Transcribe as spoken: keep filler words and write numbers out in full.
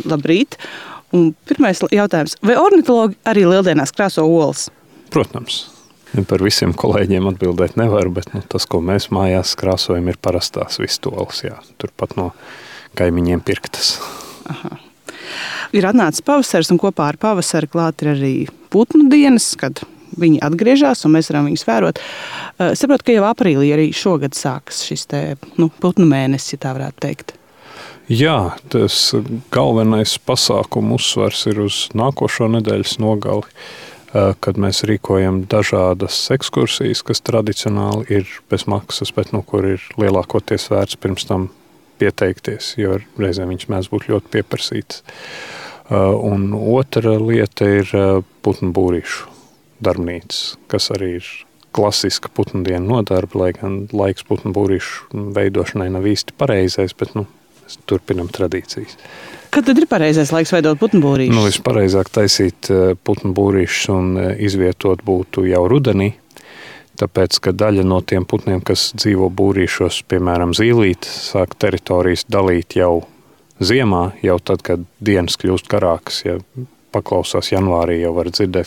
Labrīt! Un pirmais jautājums. Vai ornitologi arī lieldienās krāso olas? Protams. Par visiem kolēģiem atbildēt nevar, bet nu, tas, ko mēs mājās krāsojam, ir parastās vistoles. Jā. Turpat no kaimiņiem pirktas. Aha. Ir atnācis pavasaris, un kopā ar pavasari klāt ir arī putnu dienas, kad viņi atgriežas, un mēs varam viņus vērot. Es saprotu, ka jau aprīlī arī šogad sākas šis te, nu, putnu mēnesis, ja tā varētu teikt. Jā, tas galvenais pasākumu uzsvars ir uz nākošo nedēļas nogali, kad mēs rīkojam dažādas ekskursijas, kas tradicionāli ir bez maksas, bet nu, kur ir lielākoties vērts pirms tam pieteikties, jo reizēm viņš mēdz būt ļoti pieprasīts. Un otra lieta ir putnu būrīšu darbnīca, kas arī ir klasiska putnu dienu nodarbe, lai gan laiks putnu būrīšu veidošanai nav īsti pareizais, bet nu, mēs turpinam tradīcijas. Kad tad ir pareizais laiks veidot putnu būrīšus? Nu, vispareizāk taisīt putnu būrīšus un izvietot būtu jau rudenī, tāpēc, ka daļa no tiem putniem, kas dzīvo būrīšos, piemēram, zīlīti, sāk teritorijas dalīt jau ziemā, jau tad, kad dienas kļūst garākas, ja paklausās janvārī, jau var dzirdēt,